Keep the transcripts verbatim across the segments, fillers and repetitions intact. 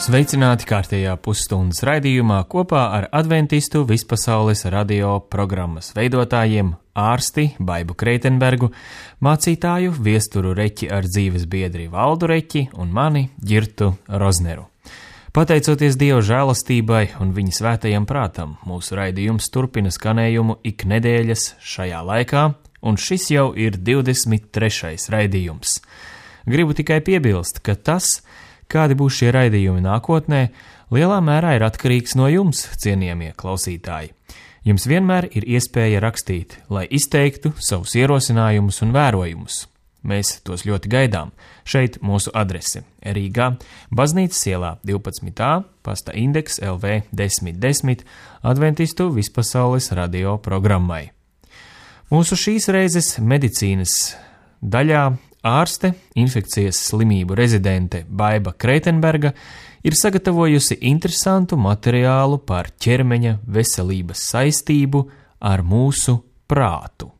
Sveicināti kārtējā pusstundas raidījumā kopā ar adventistu vispasaules radio programmas veidotājiem ārsti Baibu Kreitenbergu, mācītāju Viesturu Reķi ar dzīves biedri Valdu Reķi un mani Ģirtu Rozneru. Pateicoties Dieva žēlastībai un viņa svētajam prātam, mūsu raidījums turpina skanējumu ik nedēļas šajā laikā, un šis jau ir divdesmit trešais raidījums. Gribu tikai piebilst, ka tas, kādi būs šie raidījumi nākotnē, lielā mērā ir atkarīgs no jums, cienījamie klausītāji. Jums vienmēr ir iespēja rakstīt, lai izteiktu savus ierosinājumus un vērojumus. Mēs tos ļoti gaidām. Šeit mūsu adrese Rīgā, Baznīcas ielā divpadsmit A, pasta indeks L V desmit desmit, adventistu vispasaules radio programmai. Mūsu šīs reizes medicīnas daļā ārste, infekcijas slimību rezidente Baiba Kreitenberga ir sagatavojusi interesantu materiālu par ķermeņa veselības saistību ar mūsu prātu.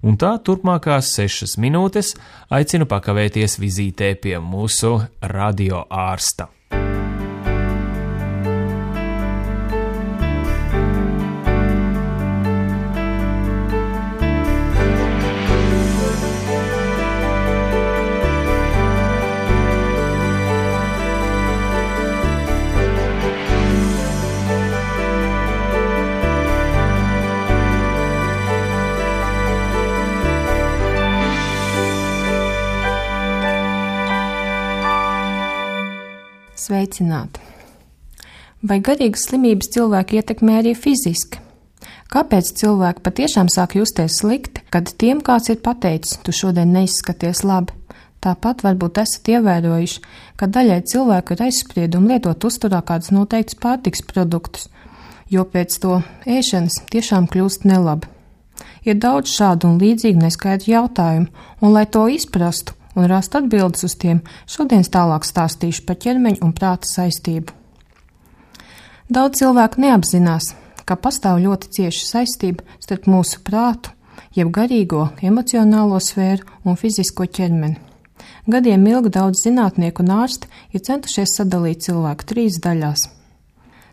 Un tā turpmākās sešas minūtes aicinu pakavēties vizītē pie mūsu radio ārsta. Sveicināti! Vai garīgas slimības cilvēku ietekmē arī fiziski? Kāpēc cilvēki patiešām sāk justies slikti, kad tiem kāds ir pateicis, tu šodien neizskaties labi? Tāpat varbūt esat ievērojuši, ka daļai cilvēku ir aizspriedumi lietot uzturā kādus noteiktus pārtiks produktus, jo pēc to ēšanas tiešām kļūst nelabi. Ir daudz šādu un līdzīgu neskaidru jautājumu, un lai to izprastu un rast atbildes uz tiem, šodien tālāk stāstīšu par ķermeņa un prāta saistību. Daudz cilvēku neapzinās, ka pastāv ļoti cieša saistība starp mūsu prātu, jeb garīgo, emocionālo sfēru un fizisko ķermeni. Gadiem ilgi daudz zinātnieku un ārsti ir centušies sadalīt cilvēku trīs daļās.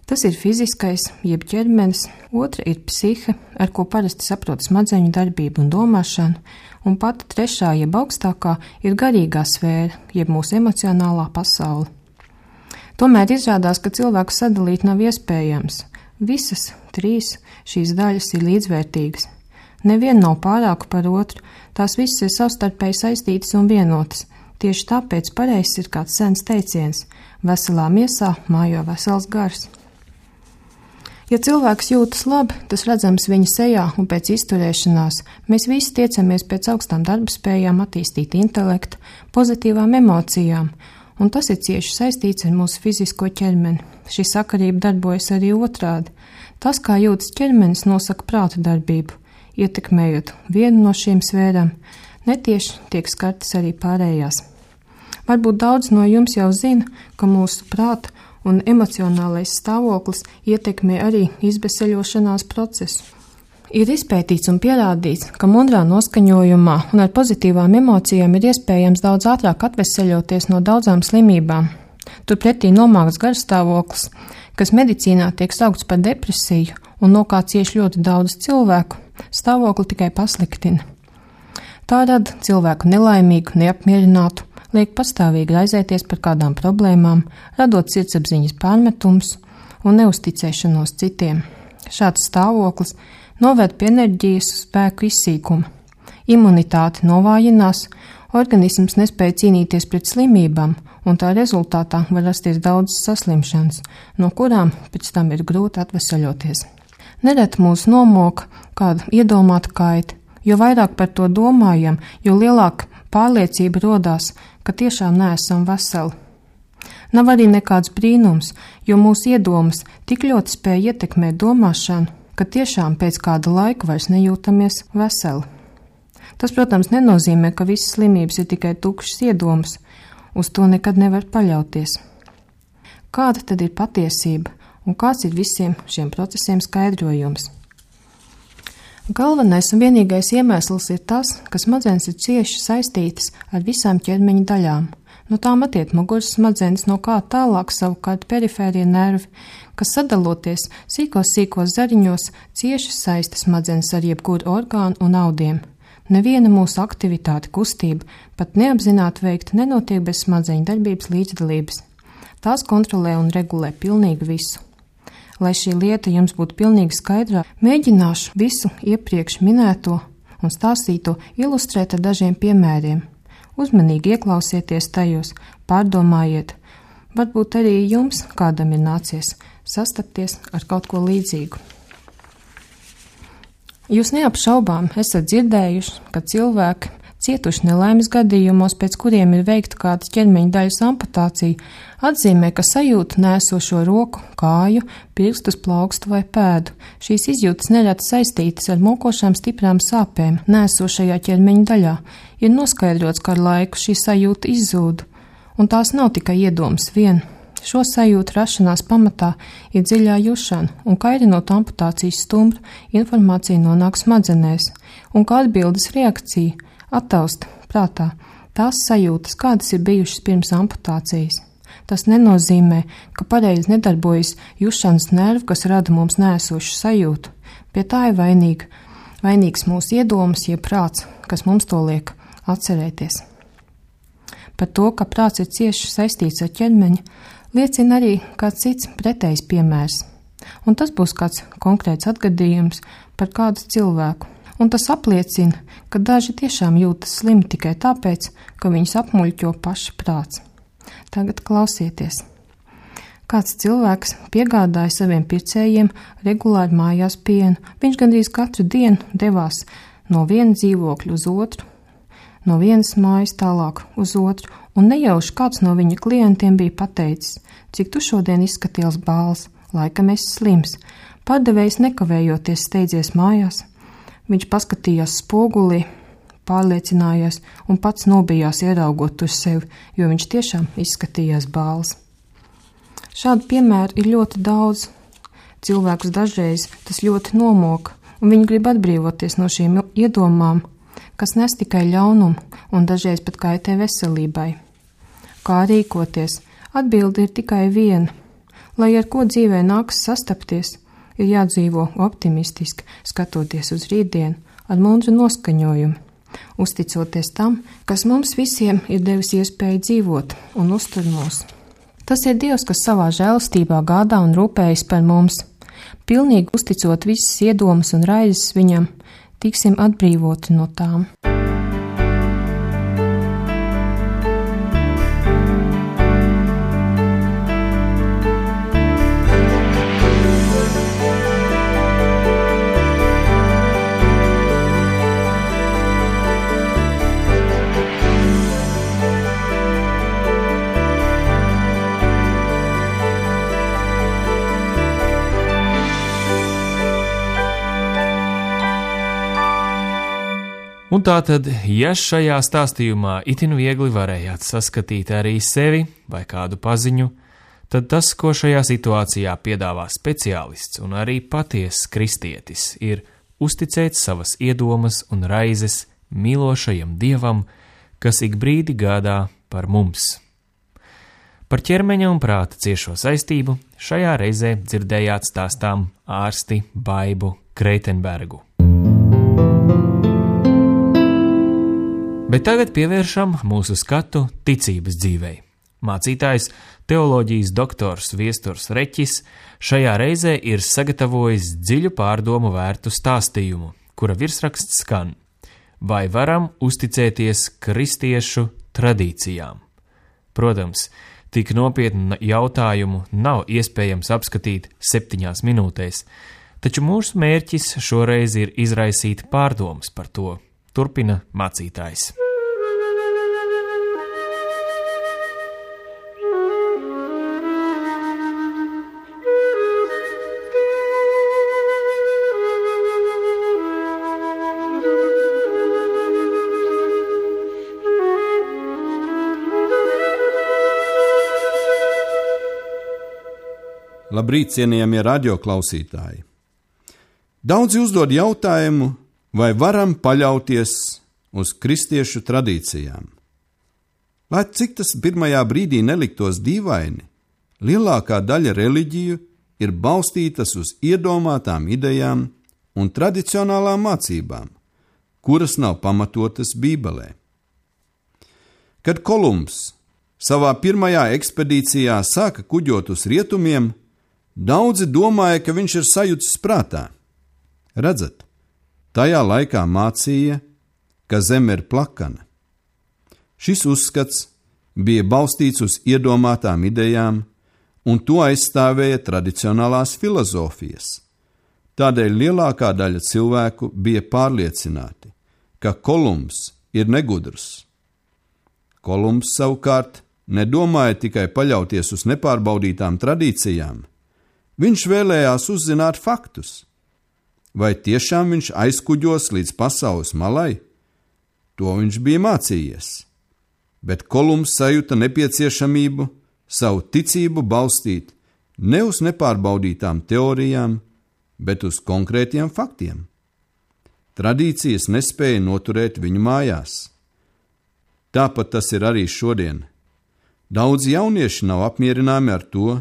Tas ir fiziskais, jeb ķermenis, otra ir psihe, ar ko parasti saprot smadzeņu darbību un domāšanu, un pati trešā, jeb augstākā, ir garīgā sfēra, jeb mūsu emocionālā pasaule. Tomēr izrādās, ka cilvēku sadalīt nav iespējams. Visas trīs šīs daļas ir līdzvērtīgas. Neviena nav pārāka par otru, tās visas ir savstarpēji saistītas un vienotas. Tieši tāpēc pareizs ir kāds sens teiciens – veselā miesā mājo vesels gars. Ja cilvēks jūtas labi, tas redzams viņa sejā un pēc izturēšanās. Mēs visi tiecamies pēc augstām darbspējām, attīstīt intelektu, pozitīvām emocijām, un tas ir cieši saistīts ar mūsu fizisko ķermeni. Šī sakarība darbojas arī otrādi. Tas, kā jūtas ķermenis, nosaka prāta darbību. Ietekmējot vienu no šīm sfērām, netieši tiek skartas arī pārējās. Varbūt daudz no jums jau zina, ka mūsu prāta un emocionālais stāvoklis ietekmē arī izbeseļošanās procesu. Ir izpētīts un pierādīts, ka mundrā noskaņojumā un ar pozitīvām emocijām ir iespējams daudz ātrāk atveseļoties no daudzām slimībām. Turpretī nomākts garstāvoklis, kas medicīnā tiek saukts par depresiju un no kā cieš ļoti daudz cilvēku, stāvokli tikai pasliktina. Tā rada cilvēku nelaimīgu, neapmierinātu, liek pastāvīgi raizēties par kādām problēmām, radot sirdsapziņas pārmetums un neusticēšanos citiem. Šāds stāvoklis noved pie enerģijas spēku izsīkuma. Imunitāte novājinās, organisms nespēja cīnīties pret slimībām, un tā rezultātā var rasties daudzas saslimšanas, no kurām pēc tam ir grūti atvesaļoties. Nereti mūs nomoka kāda iedomāta kaita, jo vairāk par to domājam, jo lielāka pārliecība rodās, ka tiešām neesam veseli. Nav arī nekāds brīnums, jo mūsu iedomas tik ļoti spēja ietekmēt domāšanu, ka tiešām pēc kāda laika vairs nejūtamies veseli. Tas, protams, nenozīmē, ka visas slimības ir tikai tukšas iedomas, uz to nekad nevar paļauties. Kāda tad ir patiesība un kāds ir visiem šiem procesiem skaidrojums? Galvenais un vienīgais iemesls ir tas, ka smadzenes ir cieši saistītas ar visām ķermeņa daļām. No tām attiek muguras smadzenes, no kā tālāk savukārt perifērie nervi, kas sadaloties sīkos sīkos zariņos cieši saista smadzenes ar jebkuru orgānu un audiem. Neviena mūsu aktivitāte, kustība, pat neapzināti veikta, nenotiek bez smadzeņu darbības līdzdalības. Tās kontrolē un regulē pilnīgi visu. Lai šī lieta jums būtu pilnīgi skaidrā, mēģināšu visu iepriekš minēto un stāstīto ilustrēt ar dažiem piemēriem. Uzmanīgi ieklausieties tajos, pārdomājiet, varbūt arī jums kādam ir nācies sastapties ar kaut ko līdzīgu. Jūs neapšaubām esat dzirdējuši, ka cilvēki cietuši nelaimes gadījumos, pēc kuriem ir veikta kāda ķermeņa daļas amputācija, atzīmē, ka sajūta nēsošo roku, kāju, pirkstus, plaukstu vai pēdu. Šīs izjūtas nereti saistītas ar mokošām stiprām sāpēm nēsošajā ķermeņa daļā. Ir noskaidrots, ka ar laiku šī sajūta izzūd, un tās nav tikai iedomas vien. Šo sajūtu rašanās pamatā ir dziļā jušana, un kairinot amputācijas stumbru, informācija nonāk smadzenēs, un kā atbildes reakcija attaust prātā tās sajūtas, kādas ir bijušas pirms amputācijas. Tas nenozīmē, ka pareizi nedarbojas jušanas nervi, kas rada mums nēsošu sajūtu. Pie tā ir vainīga, vainīgs mūsu iedomas, jeb prāts, kas mums to liek atcerēties. Par to, ka prāts ir cieši saistīts ar ķermeņa, liecina arī kāds cits pretējs piemērs. Un tas būs kāds konkrēts atgadījums par kādu cilvēku. Un tas apliecina, ka daži tiešām jūtas slimi tikai tāpēc, ka viņus apmuļķo paša prāts. Tagad klausieties. Kāds cilvēks piegādāja saviem pircējiem regulāri mājās pienu. Viņš gandrīz katru dienu devās no viena dzīvokļa uz otru, no vienas mājas tālāk uz otru, un nejauši kāds no viņa klientiem bija pateicis, cik tu šodien izskaties bāls, laikam esi slims. Pārdevējs nekavējoties steidzies mājās. Viņš paskatījās spogulī, pārliecinājās un pats nobijās ieraugot uz sevi, jo viņš tiešām izskatījās bāls. Šādu piemēru ir ļoti daudz. Cilvēkus dažreiz tas ļoti nomoka, un viņi grib atbrīvoties no šīm iedomām, kas nes tikai ļaunumu un dažreiz pat kaitē veselībai. Kā rīkoties? Atbilde ir tikai viena. Lai ar ko dzīvē nākas sastapties, ir jādzīvo optimistiski, skatoties uz rītdienu ar mundru noskaņojumu, uzticoties tam, kas mums visiem ir devis iespēju dzīvot un uztur mūs. Tas ir Dievs, kas savā žēlastībā gādā un rūpējas par mums. Pilnīgi uzticot visas iedomas un raizes viņam, tiksim atbrīvoti no tām. Un tātad, ja šajā stāstījumā itin viegli varējāt saskatīt arī sevi vai kādu paziņu, tad tas, ko šajā situācijā piedāvā speciālists un arī patiess kristietis, ir uzticēt savas iedomas un raizes mīlošajam Dievam, kas ik brīdi gādā par mums. Par ķermeņa un prāta ciešo saistību šajā reizē dzirdējāt stāstām ārsti Baibu Kreitenbergu. Bet tagad pievēršam mūsu skatu ticības dzīvei. Mācītājs, teoloģijas doktors Viesturs Reķis šajā reizē ir sagatavojis dziļu pārdomu vērtu stāstījumu, kura virsraksts skan: vai varam uzticēties kristiešu tradīcijām? Protams, tik nopietnu jautājumu nav iespējams apskatīt septiņās minūtēs, taču mūsu mērķis šoreiz ir izraisīt pārdomas par to. Turpina mācītājs. Labrīt, cienījamie radioklausītāji! Daudzi uzdod jautājumu, vai varam paļauties uz kristiešu tradīcijām? Lai cik tas pirmajā brīdī neliktos dīvaini, lielākā daļa reliģiju ir balstītas uz iedomātām idejām un tradicionālām mācībām, kuras nav pamatotas Bībelē. Kad Kolumbs savā pirmajā ekspedīcijā sāka kuģot uz rietumiem, daudzi domāja, ka viņš ir sajucis prātā. Redzat, tajā laikā mācīja, ka zeme ir plakana. Šis uzskats bija balstīts uz iedomātām idejām, un to aizstāvēja tradicionālās filozofijas. Tādēļ lielākā daļa cilvēku bija pārliecināti, ka Kolumbs ir negudrs. Kolumbs savukārt nedomāja tikai paļauties uz nepārbaudītām tradīcijām. Viņš vēlējās uzzināt faktus. Vai tiešām viņš aizkuģos līdz pasaules malai? To viņš bija mācījies. Bet Kolumbs sajūta nepieciešamību savu ticību balstīt ne uz nepārbaudītām teorijām, bet uz konkrētiem faktiem. Tradīcijas nespēja noturēt viņu mājās. Tāpat tas ir arī šodien. Daudz jaunieši nav apmierināmi ar to,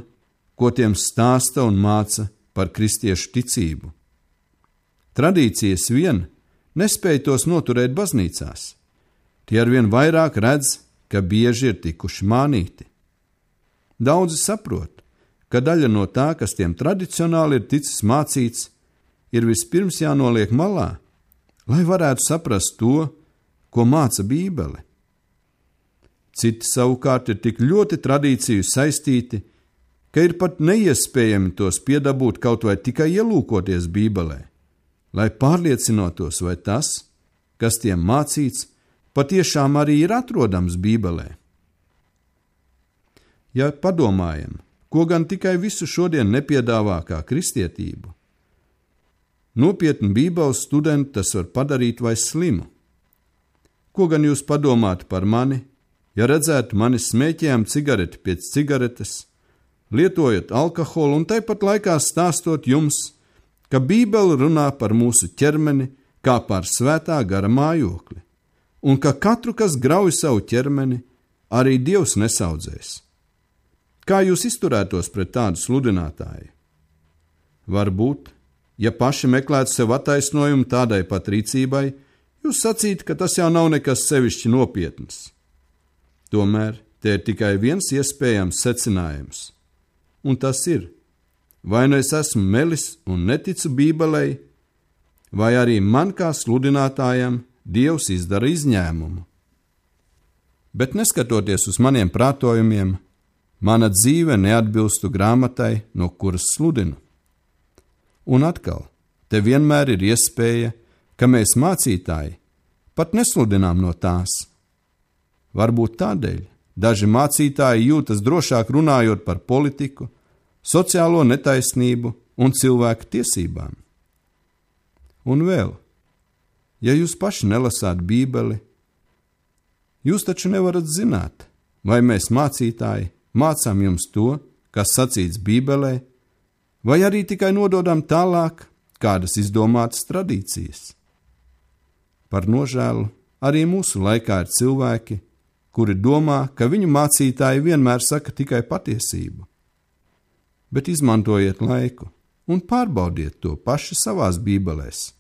ko tiem stāsta un māca par kristiešu ticību. Tradīcijas vien nespēja tos noturēt baznīcās. Tie arvien vairāk redz, ka bieži ir tikuši mānīti. Daudzi saprot, ka daļa no tā, kas tiem tradicionāli ir ticis mācīts, ir vispirms jānoliek malā, lai varētu saprast to, ko māca Bībele. Citi savukārt ir tik ļoti tradīciju saistīti, ka ir pat neiespējami tos piedabūt kaut vai tikai ielūkoties Bībelē, lai pārliecinotos, vai tas, kas tiem mācīts, patiešām arī ir atrodams Bībelē. Ja padomājam, ko gan tikai visu šodien nepiedāvā kā kristietību, nopietni Bībeles studenti tas var padarīt vai slimu. Ko gan jūs padomātu par mani, ja redzētu mani smēķējam cigareti pēc cigaretes, lietojot alkoholu un tāpat laikā stāstot jums, ka Bībele runā par mūsu ķermeni kā par svētā gara mājokli, un ka katru, kas grauj savu ķermeni, arī Dievs nesaudzēs. Kā jūs izturētos pret tādu sludinātāju? Varbūt, ja paši meklētu sev attaisnojumu tādai pat rīcībai, jūs sacītu, ka tas jau nav nekas sevišķi nopietns. Tomēr te ir tikai viens iespējams secinājums, un tas ir, vai nu es esmu melis un neticu Bībelei, vai arī man kā sludinātājam Dievs izdara izņēmumu. Bet neskatoties uz maniem prātojumiem, mana dzīve neatbilstu grāmatai, no kuras sludinu. Un atkal, te vienmēr ir iespēja, ka mēs mācītāji pat nesludinām no tās. Varbūt tādēļ daži mācītāji jūtas drošāk runājot par politiku, sociālo netaisnību un cilvēku tiesībām. Un vēl, ja jūs paši nelasāt Bībeli, jūs taču nevarat zināt, vai mēs mācītāji mācām jums to, kas sacīts Bībelē, vai arī tikai nododam tālāk kādas izdomātas tradīcijas. Par nožēlu arī mūsu laikā ir cilvēki, kuri domā, ka viņu mācītāji vienmēr saka tikai patiesību. Bet izmantojiet laiku un pārbaudiet to paši savās bībelēs.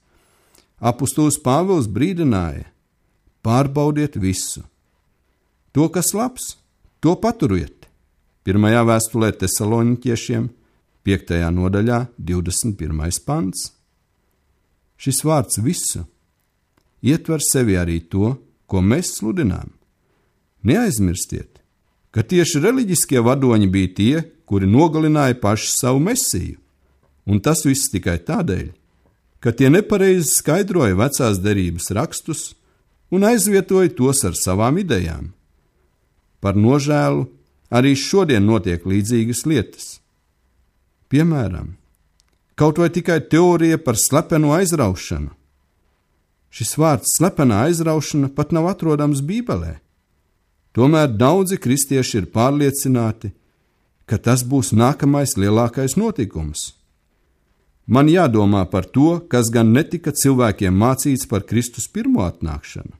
Apustulis Pāvils brīdināja: pārbaudiet visu. To, kas labs, to paturiet. Pirmajā vēstulē Tesaloniķiešiem, piektajā nodaļā, divdesmit pirmais pants. Šis vārds visu ietver sevi arī to, ko mēs sludinām. Neaizmirstiet, ka tieši reliģiskie vadoņi bija tie, kuri nogalināja paši savu mesiju, un tas viss tikai tādēļ, ka tie nepareizi skaidroja vecās derības rakstus un aizvietoja tos ar savām idejām. Par nožēlu arī šodien notiek līdzīgas lietas. Piemēram, kaut vai tikai teorija par slepeno aizraušanu. Šis vārds slepenā aizraušana pat nav atrodams Bībelē. Tomēr daudzi kristieši ir pārliecināti, ka tas būs nākamais lielākais notikums. Man jādomā par to, kas gan netika cilvēkiem mācīts par Kristus pirmo atnākšanu.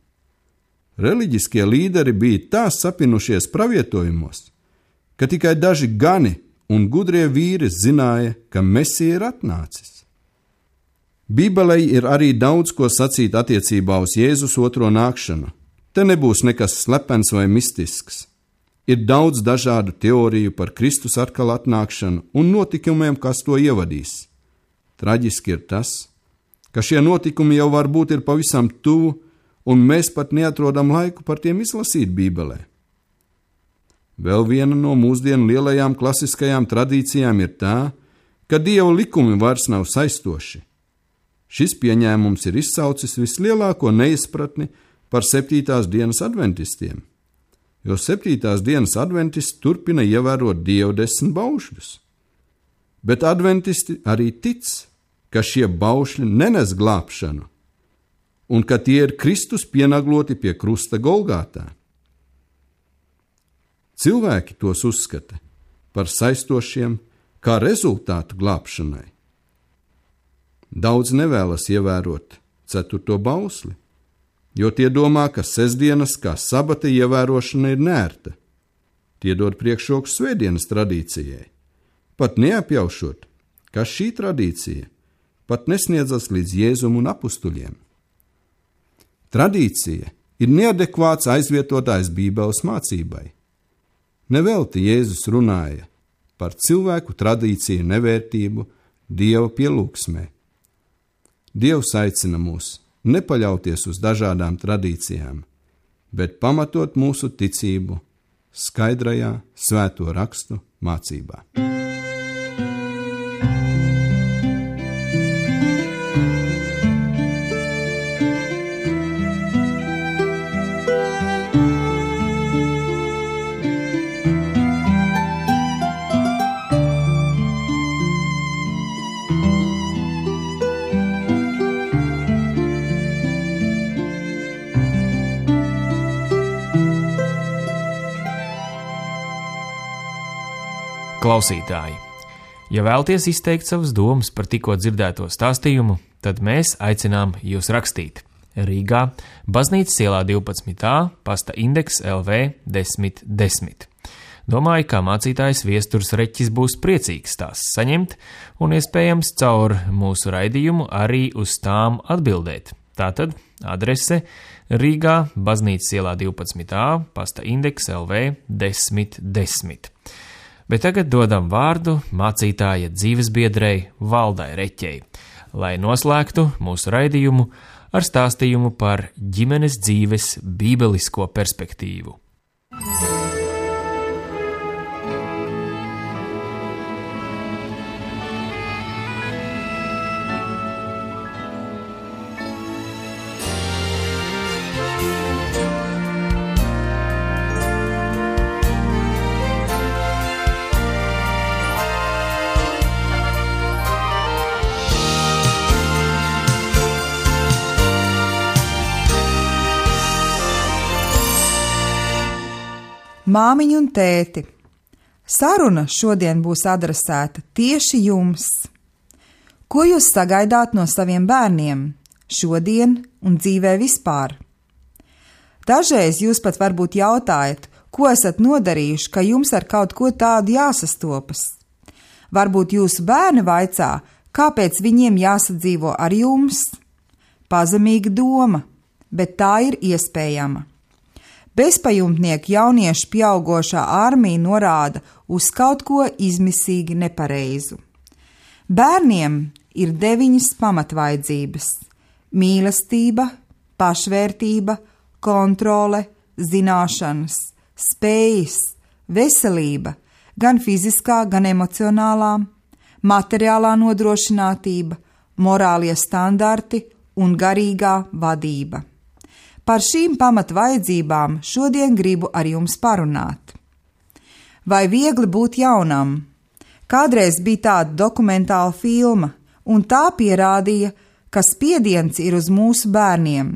Reliģiskie līderi bija tā sapinušies pravietojumos, ka tikai daži gani un gudrie vīri zināja, ka Mesija ir atnācis. Bībelei ir arī daudz ko sacīt attiecībā uz Jēzus otro nākšanu. Te nebūs nekas slepens vai mistisks. Ir daudz dažādu teoriju par Kristus atkal atnākšanu un notikumiem, kas to ievadīs. Traģiski ir tas, ka šie notikumi jau varbūt ir pavisam tuvu, un mēs pat neatrodam laiku par tiem izlasīt Bībelē. Vēl viena no mūsdienu lielajām klasiskajām tradīcijām ir tā, ka Dieva likumi vairs nav saistoši. Šis pieņēmums ir izsaucis vislielāko neizpratni par septītās dienas adventistiem, jo septītās dienas adventisti turpina ievērot Dieva desmit baušļus. Bet adventisti arī tic, ka šie baušļi nenes glābšanu, un ka tie ir Kristus pienagloti pie krusta Golgātā. Cilvēki tos uzskata par saistošiem kā rezultātu glābšanai. Daudz nevēlas ievērot ceturto bausli, jo tie domā, ka sestdienas kā sabata ievērošana ir nērta. Tie dod priekšroku svētdienas tradīcijai, pat neapjaušot, ka šī tradīcija pat nesniedzas līdz Jēzum un apustuļiem. Tradīcija ir neadekvāts aizvietotājs Bībeles mācībai. Nevelti Jēzus runāja par cilvēku tradīciju nevērtību Dieva pielūgsmē. Dievs aicina mūs nepaļauties uz dažādām tradīcijām, bet pamatot mūsu ticību skaidrajā svēto rakstu mācībā. Klausītāji, ja vēlaties izteikt savas domas par tikko dzirdēto stāstījumu, tad mēs aicinām jūs rakstīt. Rīgā, Baznīcas ielā divpadsmit A, pasta indeks L V desmit desmit. Domāju, ka mācītājs Viesturs Reķis būs priecīgs tās saņemt un iespējams caur mūsu raidījumu arī uz tām atbildēt. Tātad adrese Rīgā, Baznīcas ielā divpadsmit A, pasta indeks L V desmit desmit. Bet tagad dodam vārdu mācītāja dzīvesbiedrei Valdai Reķei, lai noslēgtu mūsu raidījumu ar stāstījumu par ģimenes dzīves bībelisko perspektīvu. Māmiņa un tēti, saruna šodien būs adresēta tieši jums. Ko jūs sagaidāt no saviem bērniem šodien un dzīvē vispār? Dažreiz jūs pat varbūt jautājat, ko esat nodarījuši, ka jums ar kaut ko tādu jāsastopas. Varbūt jūsu bērni vaicā, kāpēc viņiem jāsadzīvo ar jums. Pazemīga doma, bet tā ir iespējama. Bezpajumtnieku jauniešu pieaugošā armija norāda uz kaut ko izmisīgi nepareizu. Bērniem ir deviņas pamatvaidzības – mīlestība, pašvērtība, kontrole, zināšanas, spējas, veselība, gan fiziskā, gan emocionālā, materiālā nodrošinātība, morālie standarti un garīgā vadība. Par šīm pamatvajadzībām šodien gribu ar jums parunāt. Vai viegli būt jaunam? Kādreiz bija tāda dokumentāla filma, un tā pierādīja, ka spiediens ir uz mūsu bērniem.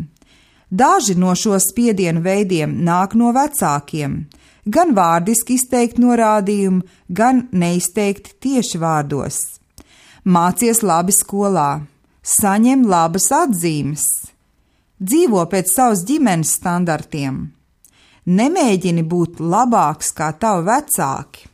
Daži no šo spiedienu veidiem nāk no vecākiem, gan vārdiski izteikt norādījumi, gan neizteikti tieši vārdos. Mācies labi skolā, saņem labas atzīmes. Dzīvo pēc savas ģimenes standartiem. Nemēģini būt labāks kā tavi vecāki.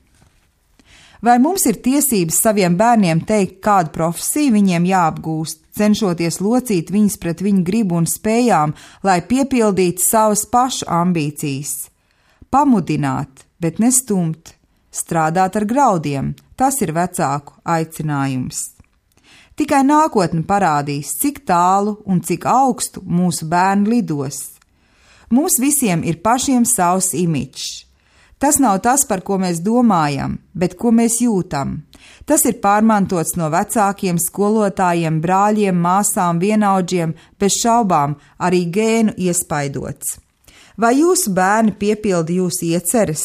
Vai mums ir tiesības saviem bērniem teikt, kādu profesiju viņiem jāapgūst, cenšoties locīt viņus pret viņu gribu un spējām, lai piepildītu savas pašu ambīcijas? Pamudināt, bet nestumt, strādāt ar graudiem, tas ir vecāku aicinājums. Tikai nākotne parādīs, cik tālu un cik augstu mūsu bērni lidos. Mums visiem ir pašiem savs imičs. Tas nav tas, par ko mēs domājam, bet ko mēs jūtam. Tas ir pārmantots no vecākiem, skolotājiem, brāļiem, māsām, vienaudžiem, bez šaubām arī gēnu iespaidots. Vai jūsu bērni piepilda jūsu ieceres?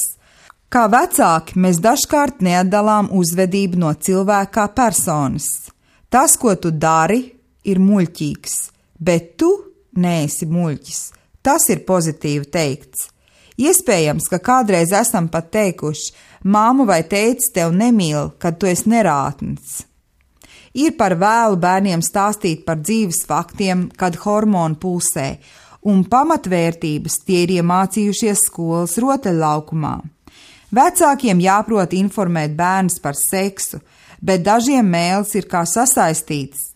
Kā vecāki mēs dažkārt neatdalām uzvedību no cilvēka kā personas. Tas, ko tu dari, ir muļķīgs, bet tu neesi muļķis. Tas ir pozitīvi teikts. Iespējams, ka kādreiz esam pat teikuši, māmu vai tētis tev nemīl, kad tu esi nerātns. Ir par vēlu bērniem stāstīt par dzīves faktiem, kad hormoni pulsē, un pamatvērtības tie ir iemācījušies skolas rotaļlaukumā. Vecākiem jāprot informēt bērnus par seksu, bet dažiem mēls ir kā sasaistīts.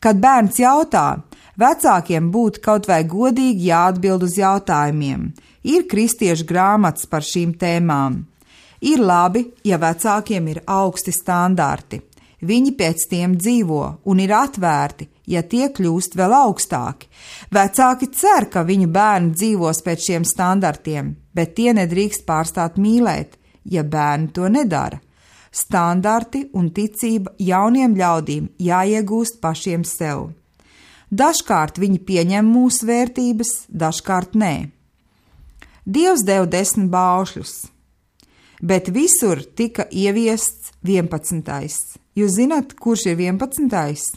Kad bērns jautā, vecākiem būtu kaut vai godīgi jāatbild uz jautājumiem. Ir kristiešu grāmatas par šīm tēmām. Ir labi, ja vecākiem ir augsti standarti. Viņi pēc tiem dzīvo un ir atvērti, ja tie kļūst vēl augstāki. Vecāki cer, ka viņu bērni dzīvos pēc šiem standartiem, bet tie nedrīkst pārstāt mīlēt, ja bērni to nedara. Standarti un ticība jauniem ļaudīm jāiegūst pašiem sev. Dažkārt viņi pieņem mūsu vērtības, dažkārt nē. Dievs deva desmit baušļus, bet visur tika ieviests vienpadsmitais. Jūs zināt, kurš ir vienpadsmitais?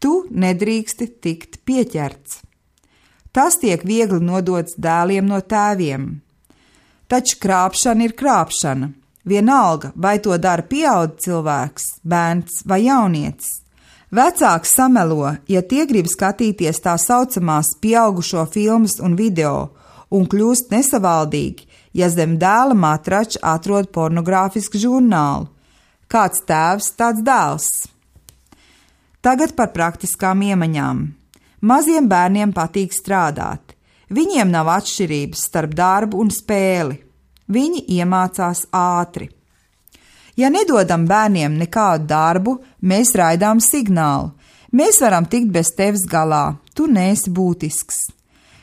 Tu nedrīksti tikt pieķerts. Tas tiek viegli nodots dēliem no tēviem. Taču krāpšana ir krāpšana. Vienalga, vai to dara pieaudzis cilvēks, bērns vai jaunietis. Vecāks samelo, ja tie grib skatīties tā saucamās pieaugušo filmas un video, un kļūst nesavaldīgi, ja zem dēla matrača atrod pornogrāfisku žurnālu. Kāds tēvs, tāds dēls. Tagad par praktiskām iemaņām. Maziem bērniem patīk strādāt. Viņiem nav atšķirības starp darbu un spēli. Viņi iemācās ātri. Ja nedodam bērniem nekādu darbu, mēs raidām signālu. Mēs varam tikt bez tevis galā, tu neesi būtisks.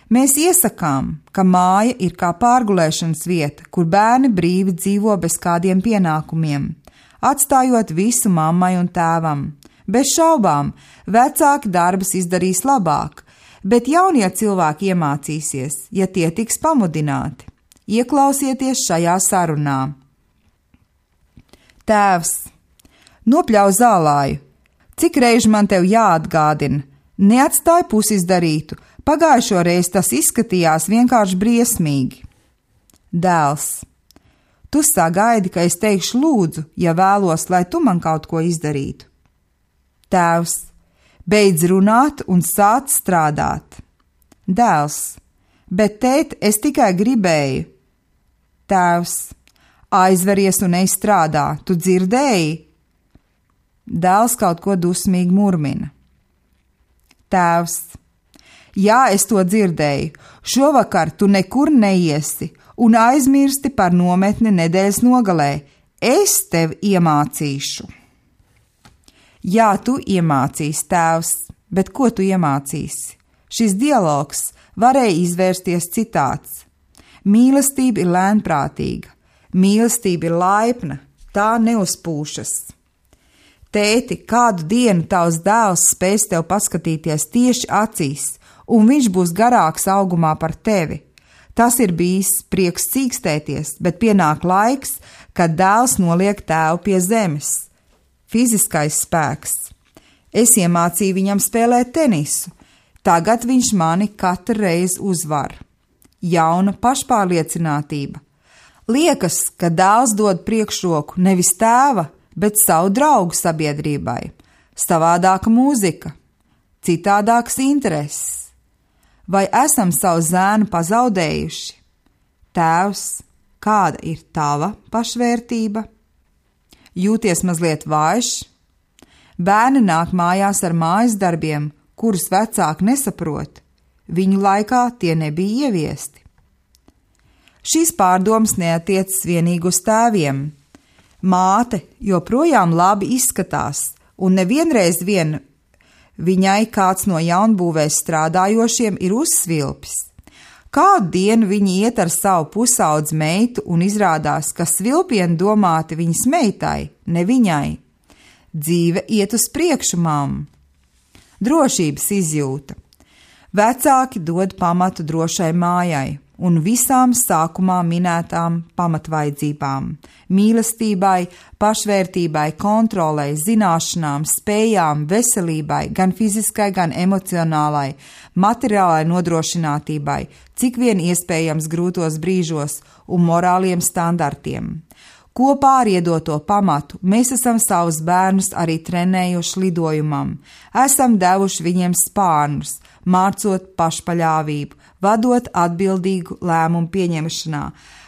Mēs iesakām, ka māja ir kā pārgulēšanas vieta, kur bērni brīvi dzīvo bez kādiem pienākumiem, atstājot visu mammai un tēvam. Bez šaubām, vecāki darbus izdarīs labāk, bet jaunie cilvēki iemācīsies, ja tie tiks pamudināti. Ieklausieties šajā sarunā. Tēvs, nopļauj zālāju. Cik reizi man tev jāatgādina? Neatstāj pusizdarītu. Pagājušo reizi tas izskatījās vienkārši briesmīgi. Dēls, tu sagaidi, ka es teikšu lūdzu, ja vēlos, lai tu man kaut ko izdarītu. Tēvs, beidz runāt un sāc strādāt. Dēls, bet tēt, es tikai gribēju. Tēvs, aizveries un ej strādā, tu dzirdēji? Dēls kaut ko dusmīgi murmina. Tēvs, jā, es to dzirdēju. Šovakar tu nekur neiesi un aizmirsti par nometni nedēļas nogalē. Es tev iemācīšu. Jā, tu iemācīsi, tēvs, bet ko tu iemācīsi? Šis dialogs varēja izvērsties citāds. Mīlestība ir lēnprātīga, mīlestība ir laipna, tā neuzpūšas. Tēti, kādu dienu tavs dēls spēs tev paskatīties tieši acīs, un viņš būs garāks augumā par tevi. Tas ir bijis prieks cīkstēties, bet pienāk laiks, kad dēls noliek tēvu pie zemes. Fiziskais spēks. Es iemācīju viņam spēlēt tenisu. Tagad viņš mani katru reizi uzvar. Jauna pašpārliecinātība. Liekas, ka dēls dod priekšroku nevis tēva, bet savu draugu sabiedrībai. Savādāka mūzika, citādākas intereses. Vai esam savu zēnu pazaudējuši? Tēvs, kāda ir tava pašvērtība? Jūties mazliet vājš? Bērni nāk mājās ar mājas darbiem, kurus vecāki nesaprot. Viņu laikā tie nebija ieviesti. Šīs pārdomas neatiecas vienīgi uz tēviem. Māte joprojām labi izskatās, un nevienreiz vien viņai kāds no jaunbūvēs strādājošiem ir uzsvilpis. Kādu dienu viņi iet ar savu pusaudzi meitu un izrādās, ka svilpieni domāti viņas meitai, ne viņai. Dzīve iet uz priekšu, mamma. Drošības izjūta. Vecāki dod pamatu drošai mājai un visām sākumā minētām pamatvajadzībām – mīlestībai, pašvērtībai, kontrolei, zināšanām, spējām, veselībai, gan fiziskai, gan emocionālai, materiālai nodrošinātībai, cik vien iespējams grūtos brīžos un morāliem standartiem. Kopā ar iedoto pamatu mēs esam savus bērnus arī trenējuši lidojumam, esam devuši viņiem spārnus, mācot pašpaļāvību, vadot atbildīgu lēmumu pieņemšanā,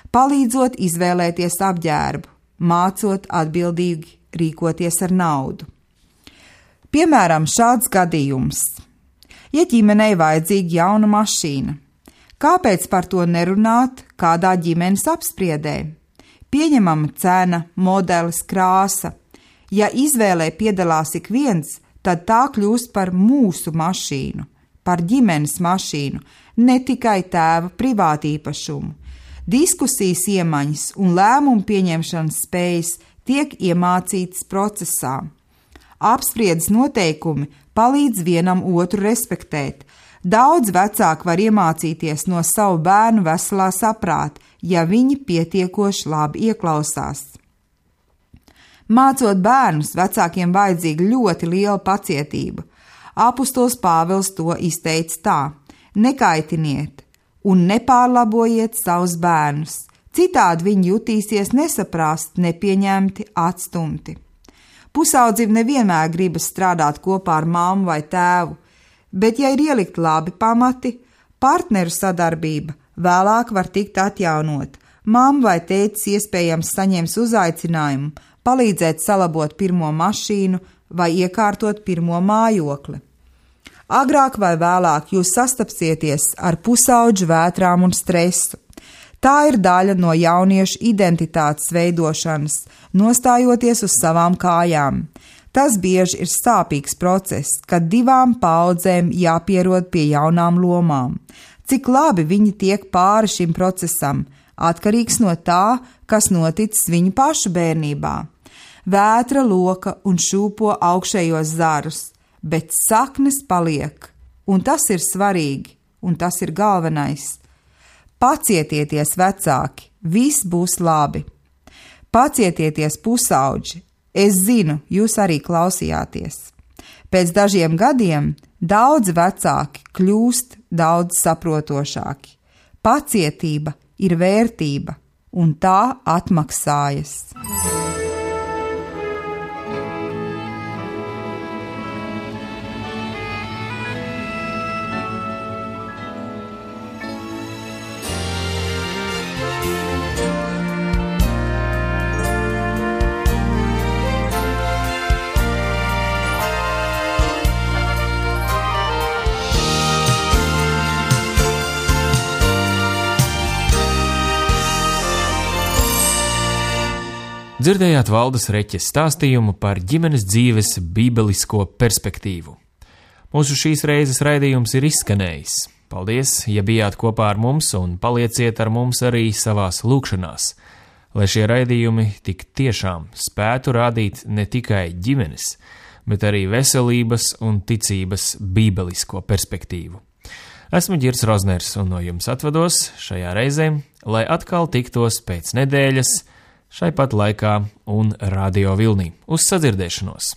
palīdzot izvēlēties apģērbu, mācot atbildīgi rīkoties ar naudu. Piemēram, šāds gadījums. Ja ģimenei vajadzīga jauna mašīna, kāpēc par to nerunāt kādā ģimenes apspriedē? Pieņemama cena, modelis, krāsa. Ja izvēlē piedalās ik viens, tad tā kļūst par mūsu mašīnu, par ģimenes mašīnu, ne tikai tēva privātīpašumu. Diskusijas iemaņas un lēmumu pieņemšanas spējas tiek iemācītas procesā. Apspriedes noteikumi palīdz vienam otru respektēt. Daudz vecāki var iemācīties no savu bērnu veselā saprāta, ja viņi pietiekoši labi ieklausās. Mācot bērnus, vecākiem vajadzīga ļoti liela pacietība. Apustulis Pāvils to izteica tā: nekaitiniet un nepārlabojiet savus bērnus, citādi viņi jutīsies nesaprast, nepieņemti, atstumti. Pusaudzim nevienmēr gribas strādāt kopā ar mammu vai tēvu, bet ja ir ielikt labi pamati, partneru sadarbība vēlāk var tikt atjaunot. Mamma vai tētis iespējams saņems uzaicinājumu palīdzēt salabot pirmo mašīnu vai iekārtot pirmo mājokli. Agrāk vai vēlāk jūs sastapsieties ar pusaudžu vētrām un stresu. Tā ir daļa no jauniešu identitātes veidošanas, nostājoties uz savām kājām. Tas bieži ir sāpīgs process, kad divām paudzēm jāpierod pie jaunām lomām. Cik labi viņi tiek pāri šim procesam, atkarīgs no tā, kas noticis viņu pašu bērnībā. Vētra loka un šūpo augšējos zarus, bet saknes paliek, un tas ir svarīgi, un tas ir galvenais. Pacietieties, vecāki, viss būs labi. Pacietieties, pusauģi, es zinu, jūs arī klausījāties. Pēc dažiem gadiem daudzi vecāki kļūst daudz saprotošāki. Pacietība ir vērtība, un tā atmaksājas. Dzirdējāt Valdes Reķes stāstījumu par ģimenes dzīves bībelisko perspektīvu. Mūsu šīs reizes raidījums ir izskanējis. Paldies, ja bijāt kopā ar mums, un palieciet ar mums arī savās lūkšanās, lai šie raidījumi tik tiešām spētu rādīt ne tikai ģimenes, bet arī veselības un ticības bībelisko perspektīvu. Esmu Ģirs Rozners un no jums atvados šajā reizē, lai atkal tiktos pēc nedēļas, šai pat laikā un radio vilnī. Uz sadzirdēšanos!